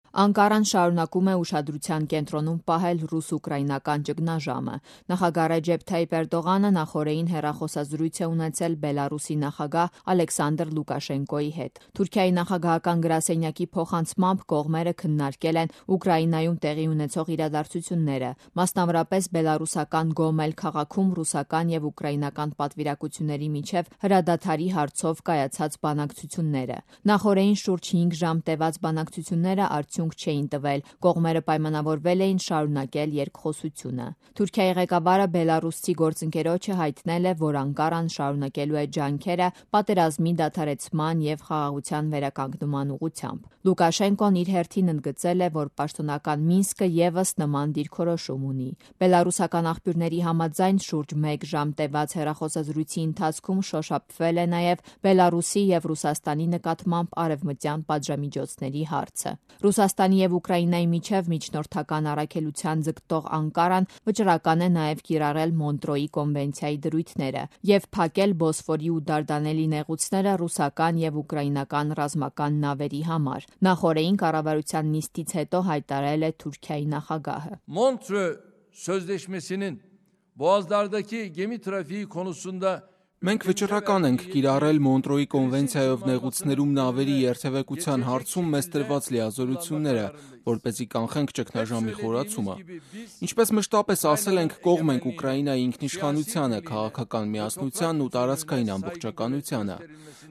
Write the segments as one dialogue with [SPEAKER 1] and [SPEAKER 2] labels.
[SPEAKER 1] Անկարան շարունակում է ուշադրության կենտրոնում պահել ռուս-ուկրաինական ճգնաժամը։ Նախագահ Ռեջեփ Թայիփ Էրդողանը նախօրեին հեռախոսազրույց է ունեցել Բելարուսի նախագահ Ալեքսանդր Լուկաշենկոյի հետ։ Թուրքիայի նախագահական գրասենյակի փոխանցմամբ կողմերը քննարկել են Ուկրաինայում տեղի ունեցող իրադարձությունները, մասնավորապես բելարուսական Գոմել քաղաքում ռուսական եւ ուկրաինական պատվիրակությունների միջև հրադադարի հարցով կայացած բանակցությունները։ Նախօրեին շուրջ 5 ժամ տևած բանակցությունները չէին տվել, կողմերը պայմանավորվել էին շարունակել երկխոսությունը։ Թուրքիայի ղեկավարը բելարուսցի գործընկերոջը հայտնել է, որ Անկարան շարունակելու է ջանքերը պատերազմի դադարեցման եւ խաղաղության վերականգնման ուղղությամբ։ Լուկաշենկոն իր հերթին ընդգծել է, որ պաշտոնական Մինսկը եւս նման դիրքորոշում ունի։ Բելարուսական աղբյուրների համաձայն շուրջ 1 ժամ տևած հեռախոսազրույցի ընթացքում շոշափվել է նաեւ Բելարուսի եւ Ռուսաստանի նկատմամբ արևմտյան պատժամիջոցների հարցը։ Ռուսաստանի եւ Ուկրաինայի միջև միջնորդական առաքելության ձգտող Անկարան վճռական է նաեւ կիրառել Մոնտրոյի կոնվենցիայի դրույթները եւ փակել Բոսֆորի ու Դարդանելի նեղուցները ռուսական եւ ուկրաինական ռազմական նավերի համար։ Նախօրեին կառավարության նիստից հետո հայտարարել է Թուրքիայի նախագահը.
[SPEAKER 2] Montreux Sözleşmesi'nin Boğazlardaki gemi trafiği konusunda
[SPEAKER 3] Մենք վճռական ենք կիրառել Մոնտրոյի կոնվենցիայով նեղուցներում նավերի երթևեկության հարցում մեզ տրված լիազորությունները, որպեսզի կանխենք ճգնաժամի խորացումը։ Ինչպես մշտապես ասել ենք, կողմ ենք Ուկրաինայի ինքնիշխանությանը, քաղաքական միասնությանն ու տարածքային ամբողջականությանը։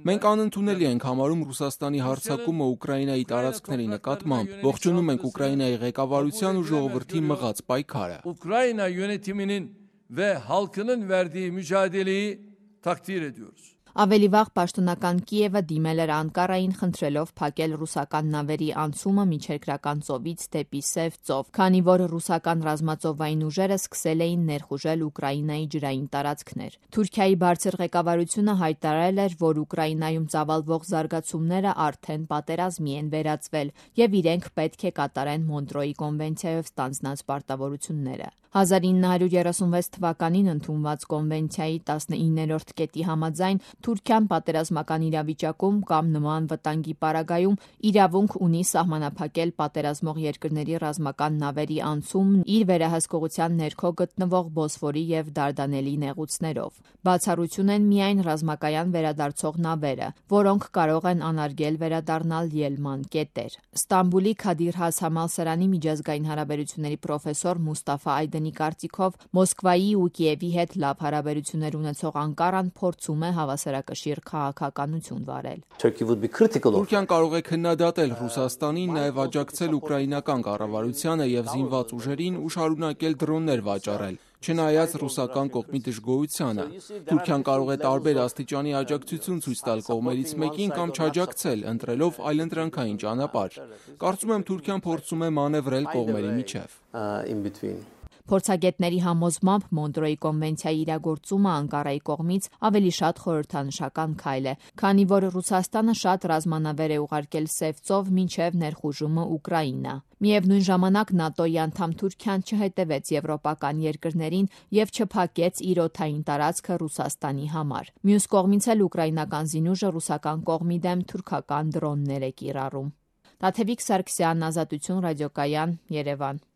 [SPEAKER 3] Մենք անընդունելի ենք համարում Ռուսաստանի հարձակումը Ուկրաինայի տարածքների նկատմամբ, ողջունում ենք Ուկրաինայի ղեկավարության ու ժողովրդի մղած պայքարը։
[SPEAKER 2] Ukrayna yönetiminin ve halkının verdiği mücadeleyi takdir ediyoruz.
[SPEAKER 1] Ավելի վաղ պաշտոնական Կիևը դիմել էր Անկարային խնդրելով փակել ռուսական նավերի անցումը միջերկրական ծովից դեպի Սև ծով, քանի որ ռուսական ռազմածովային ուժերը սկսել էին ներխուժել Ուկրաինայի ջրային տարածքներ։ Թուրքիայի բարձր ղեկավարությունը հայտարարել էր, որ Ուկրաինայում ծավալվող զարգացումները արդեն պատերազմի են վերածվել եւ իրենք պետք է կատարեն Մոնտրոյի կոնվենցիայով ստանձնած պարտավորությունները։ 1936 թվականին ընդունված կոնվենցիայի 19-րդ կետի համաձայն Թուրքիան պատերազմական իրավիճակում կամ նման վտանգի պարագայում իրավունք ունի սահմանափակել պատերազմող երկրների ռազմական նավերի անցումն իր վերահսկողության ներքո գտնվող Բոսֆորի եւ Դարդանելի նեղուցներով։ Բացառություն են միայն ռազմակայան վերադարձող նավերը, որոնք կարող են անարգել վերադառնալ ելման կետեր։ Ստամբուլի Քադիր Has համալսարանի միջազգային հարաբերությունների պրոֆեսոր Մուստաֆա Այդենի կարծիքով Մոսկվայի ու Կիևի հետ լավ հարաբերություններ ունեցող Անկարան փորձում է հավասարակշիռ քաղաքականություն վարել։
[SPEAKER 3] Թուրքիան կարող է քննադատել Ռուսաստանին, նաև աջակցել ուկրաինական կառավարությանը եւ զինված ուժերին ու շարունակել դրոններ վաճառել, չնայած ռուսական կողմի դժգոհությանը։ Թուրքիան կարող է տարբեր աստիճանի աջակցություն ցույց տալ կողմերից մեկին կամ չաջակցել, ընտրելով այլընտրանքային ճանապարհ։ Կարծում եմ Թուրքիան փորձում է մանևրել կողմերի միջև։
[SPEAKER 1] Փորձագետների համոզմամբ Մոնտրոյի կոնվենցիայի իրագործումը Անկարայի կողմից ավելի շատ խորհրդանշական քայլ է, քանի որ Ռուսաստանը շատ ռազմանավեր է ուղարկել Սև ծով մինչև ներխուժումը Ուկրաինա։ Միևնույն ժամանակ ՆԱՏՕ-ի անդամ Թուրքիան չհետևեց եվրոպական երկրներին եւ չփակեց իր օդային տարածքը Ռուսաստանի համար։ Մյուս կողմից էլ ուկրաինական զինուժը ռուսական կողմի դեմ թուրքական դրոններ է կիրառում։ Տաթևիկ Սարգսյան, Ազատություն ռադիոկայան, Երևան։